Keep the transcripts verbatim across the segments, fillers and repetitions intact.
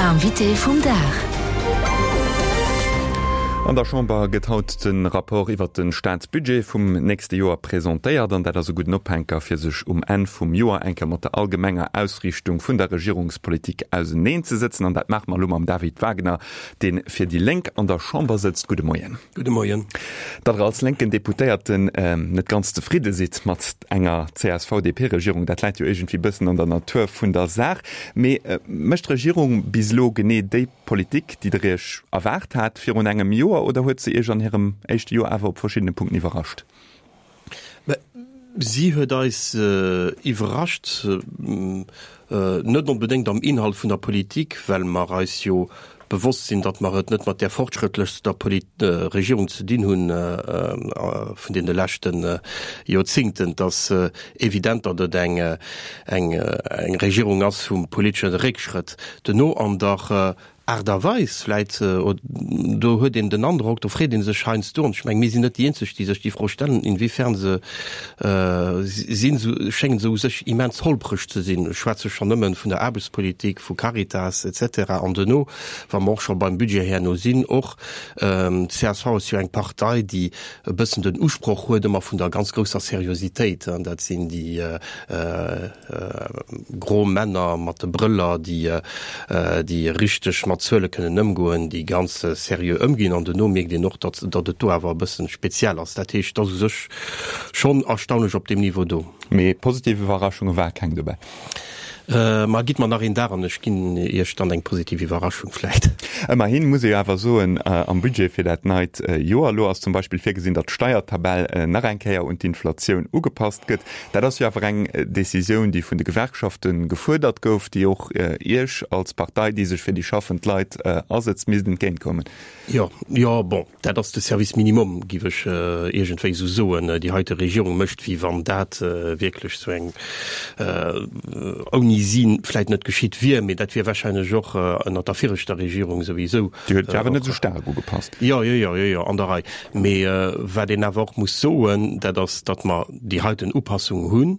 L'invité vum Dag. An der Chamber gëtt haut de Rapport iwwert de Staatsbudget vum nächste Joer presentéiert an dat ass e gudden Ophänker fir sech um Enn vum Joer eng Kéier mat der allgemenger Ausriichtung vun der Regierungspolitik auseneenzesëtzen. An dat maache mer elo mam David Wagner, dee fir déi Lénk an der Chamber sëtzt. Gudde Moien. Gudde Moien. Datt Der als lénken Deputéierten net ganz zefridde sidd mat enger C S V D P-Regierung, dat läit jo iergendwéi bëssen an der Natur vun der Saach. Mee mécht d'Regierung bis elo genee déi Politik, déi Der Iech erwaart hat virun engem Joer, oder huet se Iech an hirem éischte Joer awer op verschiddene Punkten iwwerrascht? Si huet eis iwwerrascht, net onbedéngt am Inhalt vun der Politik, well mer eis jo bewosst sinn, datt mer et net mat där fortschrëttlechster Regierung ze dinn hunn vun deene leschte Joerzingten. Et ass evident, datt et eng eng Regierung ass vum politesche Réckschrëtt. Duerno an der Aart a Weis vläit, do huet een den Androck, do freet ee sech heiansdo, an ech mengen, mir sinn net déi Eenzeg, déi sech déi Fro stellen, inwiefern se sinn, schéngen se u sech immens holpreg ze sinn. Ech schwätze schonn nëmmen vun der Aarbechtspolitik, vu Caritas et cetera. An duerno, wa mer och scho beim Budget herno sinn, och d'C S V ass jo eng Partei, déi e bëssen den Usproch huet ëmmer vun der ganz grousser Seriositéit. Dat sinn déi gro Männer mat de Brëller, déi déi richteg mat Zuele kënnen ëmgoen, déi ganz seriö ëmginn, an duerno mierkt een och, datt datt et do awer e bëssen speziell ass. Dat heescht, et ass u sech schonn erstaunlech op deem Niveau do. Mee positiv Iwwerraschunge war keng dobäi? Ma gitt mer nach een Dag an ech ginn Iech dann eng positiv Iwwerraschung vläicht. Ëmmerhin muss ee jo awer soen, am Budget fir dat neit Joer elo ass zum Beispill virgesinn, datt d'Steiertabell nach eng Kéier un d'Inflatioun ugepasst gëtt. Dat ass jo awer eng Decisioun, déi vun de Gewerkschafte gefuerdert gouf, déi och Iech als Partei, déi sech fir déi schaffend Leit asëtzt, misst entgéintkommen. Jo, jo, bon, dat ass de Service minimum, giff ech iergendwéi esou soen. Déi heite Regierung mécht, wéi wann dat wierklech esou eng ouni si vläit net geschitt wier, mee dat wier wahrscheinlech och ënnert der viregter Regierung souwisou. Déi huet et awer net esou staark ugepasst. Jo, jo, jo, jo, jo, an der Rei. Mee wat een awer och muss soen, dat ass, datt mer déi heiten Upassung hunn.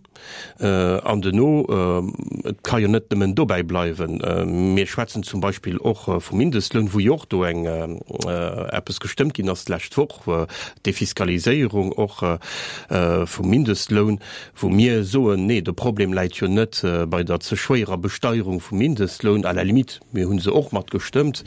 An duerno, et ka jo net nëmmen dobäi bleiwen. Mir schwätzen zum Beispill och vum Mindestloun, wou jo och do eng eppes gestëmmt ginn ass d'lescht Woch, d'Defiskaliséierung och vum Mindestloun, wou mir soen, nee, de Problem läit jo net bei der ze schwéierer Besteierung vum Mindestloun, à la limite, mir hu se och mat gestëmmt,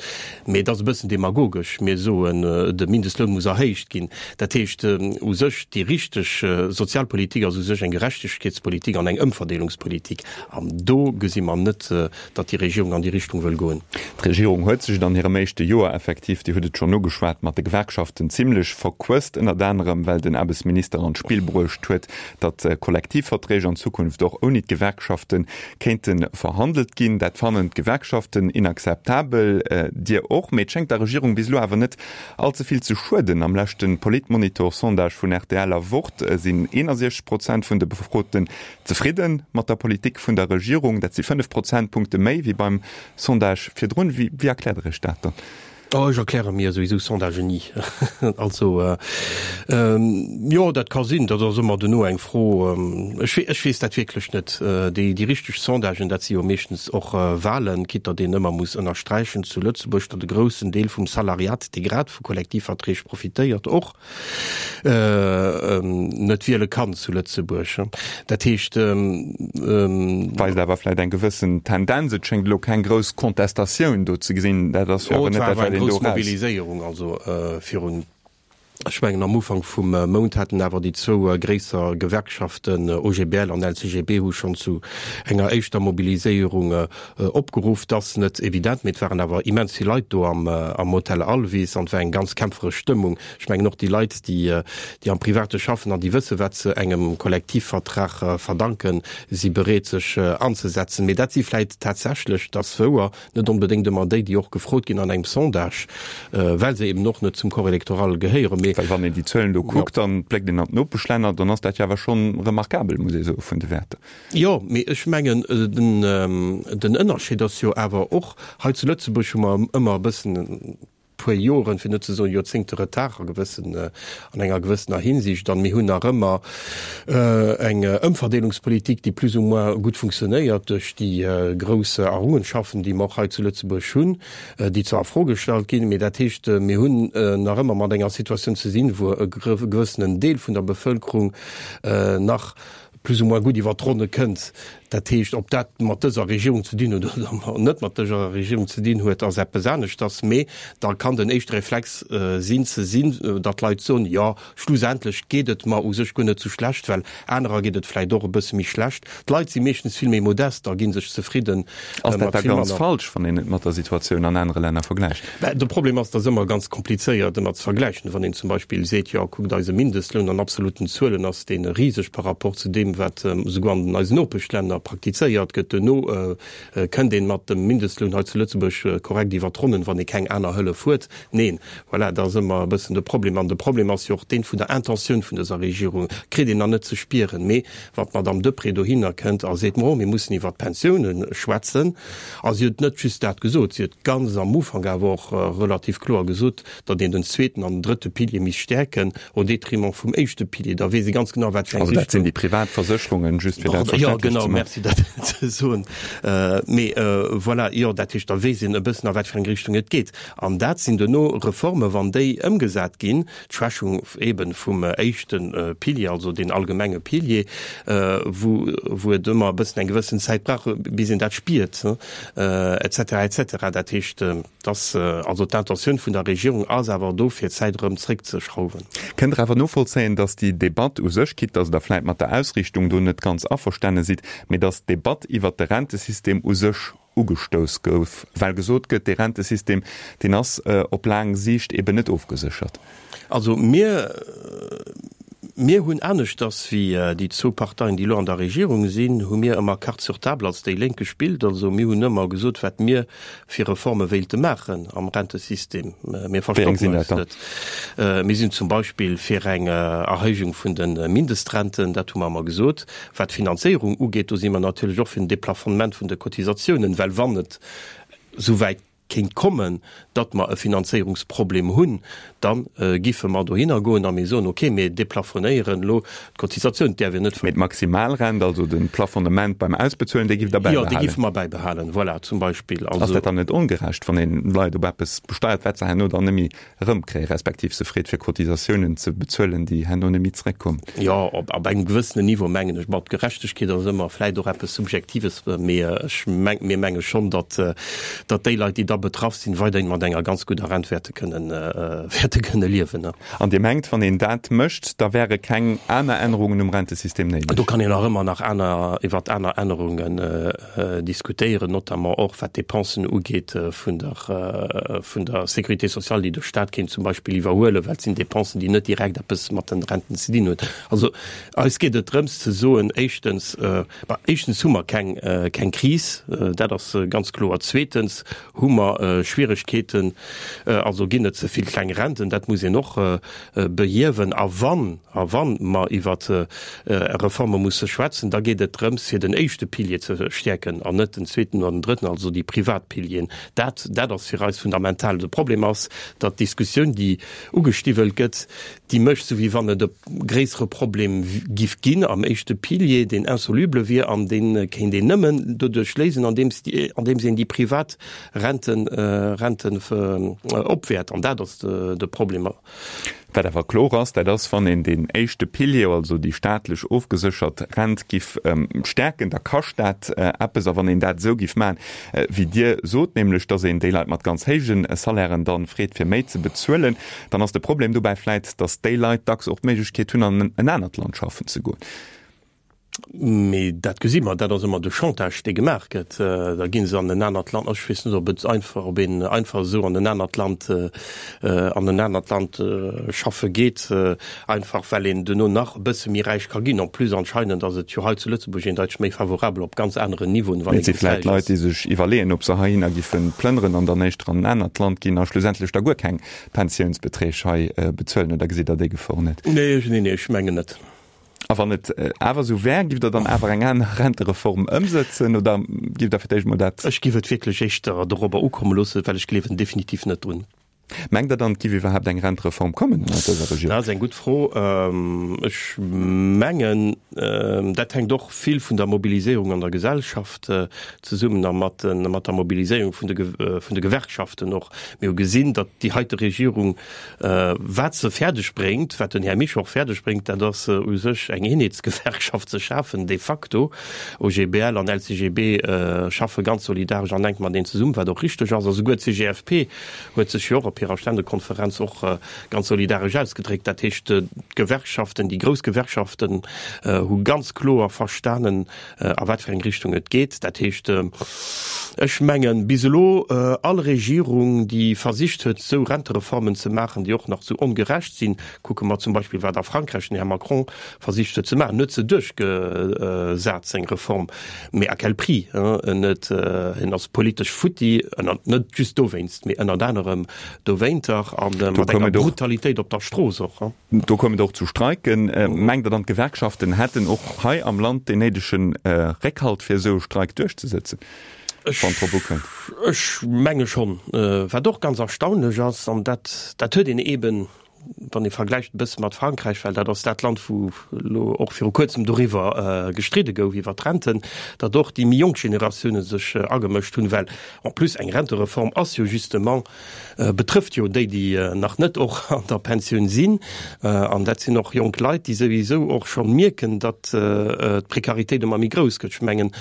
mee et ass e bëssen demagogesch, mir soen, de Mindestloun muss erhéicht ginn. Dat heescht u sech, déi richteg Sozialpolitik ass u sech eng Gerechtegkeetspolitik an eng Ëmverdeelungspolitik. An do gesi mer net, datt déi Regierung an déi Richtung wëll goen. D'Regierung huet sech et an hirem éischte Joer effektiv, Dir hutt et schonn ugeschwat, mat de Gewerkschaften zimlech verquësst, ënnert anerem well den Aarbechtsminister an d'Spill bruecht huet, datt Kollektivverträg an Zukunft och ouni d'Gewerkschafte kéinte verhandelt ginn. Dat fannen d'Gewerkschaften inakzeptabel, Dir och. Mee et schéngt der Regierung bis elo awer net all ze vill ze schueden. Am leschte Politmonitor-Sondage vun R T L a Wort sinn eenundsechzeg Prozent vun de Befroten zefridde mat der Politik vun der Regierung. Dat si fënnef Prozentpunkte méi wéi beim Sondage virdrun. Wéi erkläert Der Iech dat dann? Oh, ech erkläre mir souwisou Sondagen ni. Also, jo, dat ka sinn, dat ass ëmmer duerno eng Fro. Ech, ech weess dat wierklech net. Déi, déi richteg Sondagen, dat si jo meeschtens och Wahlen, quitte datt een ëmmer muss ënnersträichen zu Lëtzebuerg, datt e groussen Deel vum Salariat, dee grad vu Kollektivverträg profitéiert, och net wiele kann zu Lëtzebuerg. Dat heescht. Weist awer vläicht eng gewëssen Tendenz. Et schéngt elo keng grouss Kontestatioun do ze gesinn. Dat ass jo awer net dat, wat een do eraus. Mobiliséierung, also virun, ech mengen am Ufank vum Mount haten awer déi zwou gréisser Gewerkschaften, O G B L an L C G B, hu schonn zu enger éischter Mobiliséierung opgeruff. Dat ass net evident, mee et waren awer immens vill Leit do am Hotel Alvis an et war eng ganz kämpferesch Stëmmung. Ech mengen och déi Leit, déi am Private schaffen an déi wësse wat se engem Kollektivvertrag verdanken, si bereet sech anzesetzen. Mee dat si vläit tatsächlech, dat ass wouer, net onbedéngt ëmmer déi, déi och gefrot ginn an engem Sondage, well se eben och net zum Corps électoral gehéieren. Mee Well wann een déi Zuelen do kuckt, dann bléckt een an d'Nopeschlänner, dann ass dat jo awer schonn remarkabel, muss ee soen, vun de Wäerter. Jo, mee ech mengen, den Ënnerscheed ass jo awer och, hei zu Lëtzebuerg hu mer ëmmer e bëssen, puer Joren, fir net ze soen Joerzéngte Retard a gewëssen, an enger gewëssener Hinsicht. An mir hunn nach ëmmer eng Ëmverdeelungspolitik, déi plus ou moins gutt funktionéiert duerch déi grouss Errungenschaften, déi mer och hei zu Lëtzebuerg hunn, déi zwar a Fro gestallt ginn, mee dat heescht, mir hunn nach ëmmer mat enger Situatioun ze sinn, wou e gewëssenen Deel vun der Bevëlkerung nach plus ou moins gutt iwwert d'Ronne kënnt. Dat heescht, ob dat mat dëser Regierung ze dinn huet oder net mat dëser Regierung ze dinn huet, ass eppes aneschters. Mee da kann den éischte Reflex sinn, ze sinn, datt d'Leit soen, jo, schlussendlech geet et mer u sech guer net sou schlecht, well anerer geet et vläicht och e bësse méi schlecht. D'Leit si meeschtens vill méi modest a gi sech zefridden Ass dat da mat vill ganz manner. falsch, wann een et mat der Situatioun an anere Länner vergläicht? Mä de Problem ass, et ass ëmmer ganz komplizéiert ëmmer ze vergläichen. Wann een zum Beispill seet, jo, kuckt eise Mindestloun, an absoluten Zuelen ass dee riseg par rapport zu deem, wat esouguer an eisen Nopeschlänner praktizéiert gëtt. Duerno kënnt een mat dem Mindestloun hei zu Lëtzebuerg korrekt iwwer d'Ronnen, wann ee keng aner Hëllef huet. Neen, voilà, dat ass ëmmer e bëssen de Problem. An de Problem ass jo och deen vun der Intentioun vun dëser Regierung, kritt een nach net ze spieren. Mee wann d'Madame Deprez dohinner kënnt a seet, Mo, mir mussen iwwert d'Pensiounen schwätzen, a si huet net just dat gesot, si huet ganz am Ufank awer och relativ kloer gesot, datt een den zweeten an den drëtte Pilier misst stäerken au détriment vum éischte Pilier, da weess ee ganz genau, wat fir eng Also dat sinn déi privat Versécherungen, just fir dat Jo, verständlech genau, ze maachen. merci dat ze soen. Mee voilà, jo, dat heescht, da weess een e bëssen, a wat fir eng Richtung et geet. An dat sinn duerno Reformen, wann déi ëmgesat ginn, d'Schwächung eeben vum éischte Pilier, also deen allgemenge Pilier, wou, wou et ëmmer e bëssen eng gewëssen Zäit brauch, bis een dat spiert, et cetera, et cetera. Dat heescht, dass, also d'Intentioun vun der Regierung ass awer do, fir d'Zäit erëm zréckzeschrauwen. Kënnt Der awer novollzéien, dass déi Debatt u sech, quitte dass Der vläicht mat der Ausrichtung do net ganz averstane sidd, mee dass d'Debatt iwwert de Rentesystem u sech ugestouss gouf, well gesot gëtt, dee Rentesystem, deen ass op laang Siicht eben net ofgeséchert? Also mir, mir hunn aneschters wéi déi zwou Parteien, déi elo an der Regierung sinn, hu mir ëmmer Carte sur table als déi Lénk gespillt. Also mir hunn ëmmer gesot, wat mir fir Reforme wéilte maachen am Rentesystem. Mir Wéi eng verstoppen sinn eis dat dann? net. Mir sinn zum Beispill fir eng Erhéijung vun de Mindestrenten, dat hu mer ëmmer gesot. Wat d'Finanzéierung ugeet, do si mer natierlech och fir en Déplafonnement vun de Cotisatiounen, well wann et esouwäit kéint kommen, datt mer e Finanzéierungsproblem hunn, da giffe mer dohinner goen a mir soen, okay, mir déplafonéieren elo d'Cotisatioun, d'däerf een net. Mee d'Maximalrent, also de Plafonnement beim Ausbezuelen, dee gifft Der Jo, dee bäibehalen? giffe mer bäibehalen, voilà, zum Beispill. Ass Also. dat dann net ongerecht, wann een Leit op eppes besteiert, wat se herno dann net méi erëmkréien, respektiv se freet, fir Cotisatiounen ze bezuelen, déi herno net méi zeréckkommen? Jo, op op engem gewëssenen Niveau mengen ech. Bon, d'Gerechtegkeet ass ëmmer vläicht och eppes Subjektives, mee ech meng, mir menge schonn, datt datt déi Leit, déi da betraff sinn, weiderhin mat enger ganz gudder Rent wäerte kënnen wäerte kënne liewen. An Dir mengt, wann een dat mécht, da wäre keng aner Ännerungen um Rentesystem néideg? Do kann een nach ëmmer nach aner iwwert aner Ännerungen diskutéieren, notamment och wat d'Dépensen ugeet vun der vun der Sécurité sociale, déi de Stat kéint zum Beispill iwwerhuelen, well et sinn Dépensen, déi net direkt eppes mat den Renten ze dinn hunn. Also eis geet et drëms ze soen, éischtens, bah, éischtens hu mer keng keng Kris, dat ass ganz kloer. Zweetens hu mer Schwieregkeeten, also ginn et ze vill kleng Renten, dat muss een och behiewen. A wann, a wann mer iwwer Reforme musse schwätzen, da geet et drëms, fir den éischte Pilier ze stäerken an net den zweeten oder den drëtten, also déi privat Pilieren. Dat, dat ass fir eis fundamental. De Problem ass, datt d'Diskussioun, déi ugestiwwelt gëtt, déi mécht, sou wéi wann et e gréissere Problem giff ginn am éischte Pilier, deen insoluble wier an dee kéint een nëmmen doduerch léisen, andeems andeems een déi privat Renten, Renten opwäert. An dat ass de Problem. Wat awer kloer ass, dat ass, wann een deen éischte Pilier, also déi staatlech ofgeséchert Rent, giff stäerken, da kascht dat eppes. A wann een dat esou giff maachen, wéi Dir sot, nämlech datt een déi Leit mat ganz héije Salairen dann freet, fir méi ze bezuelen, dann ass de Problem dobäi vläit, datt déi Leit dacks och d'Méiglechkeet hunn, an en anert Land schaffen ze goen. Mee dat gesi mer, dat ass ëmmer de Chantage, dee gemaach gëtt. Da gi se an en anert Land. Ech weess net, ob et einfach, ob een einfach esou an en anert Land, an en anert Land schaffe geet, einfach well een duerno nach e bësse méi räich ka ginn. En plus anscheinend ass et jo hei zu Lëtzebuerg eendeiteg méi favorabel op ganz aneren Niveauen, wann Mee ee et si ganz vläicht räich Leit, ass. déi sech iwwerleeën, ob se heihinner giffe plënneren an dann éischter an en anert Land ginn a schlussendlech da guer keng Pensiounsbeträg hei bezuelen. Oder gesitt Der déi Gefor net? Nee, nee, nee, ech mengen net. A wann et awer esou wär, giff Der dann awer eng aner Rentereform ëmsëtzen oder giff Der fir d'éischt mol dat. Ech giff et wierklech éischter dorobber ukomme loossen, well ech gleewen definitiv net drun. Mengt Der dann, et giff iwwerhaapt eng Rentereform kommen ënnert dëser Regierung? Dat ass eng gutt Fro. Ech mengen, dat hänkt och vill vun der Mobiliséierung an der Gesellschaft zesummen a mat der Mobiliséierung vun de Gewerkschaften och. Mir hu gesinn, datt déi heite Regierung, wat se fäerdeg bréngt, wat den Här Meisch och fäerdeg bréngt, dat ass u sech eng Eenheetsgewerkschaft ze schafen de facto. OGBL an LCGB schaffe ganz solidaresch an enk mateneen zesummen, wat och richteg ass. A souguer d'CGFP huet sech jo och op hirer Ständekonferenz och ganz solidaresch ausgedréckt. Dat heescht, d'Gewerkschaften, déi grouss Gewerkschaften hu ganz kloer verstanen, a wat fir eng Richtung et geet. Dat heescht, ech mengen, bis elo all Regierung, déi versicht huet, esou Rentereformen ze maachen, déi och nach esou ongerecht sinn, kucke mer zum Beispill, wat a Frankräich den Här Macron versicht huet ze maachen, en huet se duerchgesat, seng Reform, mee à quel prix? En huet, en ass politesch futti, ënner, net just dowéinst, mee ënnert anerem dowéinter, a mat enger Brutalitéit op der Strooss och. Do koum et och zu Streiken. Mengt Der dann, d'Gewerkschaften hätten och hei am Land deen néidege Réckhalt, fir esou e Streik duerchzesëtzen, wann et drop ukënnt? Ech menge schonn. Wat och ganz erstaunlech ass, an dat, dat huet een eeben, wann ee vergläicht e bësse mat Frankräich, well dat ass dat Land, wou elo och viru Kuerzem doriwwer gestridde gouf, iwwert d'Renten, datt och déi méi jonk Generatioune sech agemëscht hunn, well en plus eng Rentereform ass jo justement, betrëfft jo déi, déi nach net och an der Pensioun sinn. An dat sinn och jonk Leit, déi souwisou och scho mierken, datt d'Prekaritéit ëmmer méi grouss gëtt. Ech mengen,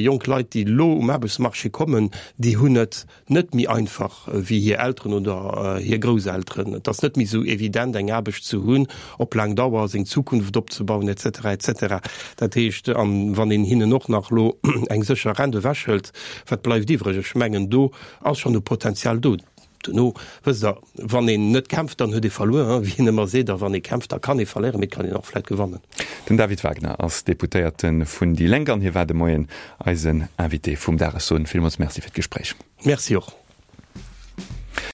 jonk Leit, déi elo um Aarbechtsmarché kommen, déi hunn et net méi einfach wéi hir Elteren oder hir Grousselteren. Et ass net méi esou evident, eng Aarbecht ze hunn, op laang Dauer seng Zukunft opzebauen, et cetera, et cetera. Dat heescht, a wann een hinnen och nach elo eng sécher Rent ewechhëlt, wat bleift iwwreg? Ech mengen, do ass schonn e Potenzial do. Duerno, wësst Der, wann een net kämpft, dann huet ee verluer, wéi een ëmmer seet, a wann ee kämpft, da kann ee verléieren, mee et kann een och vläicht gewannen. Den David Wagner ass Deputéierte vun déi Lénk an hie war de Moien eisen Invité vum Dagesson. Villmools Merci fir d'Gespréich. Merci och.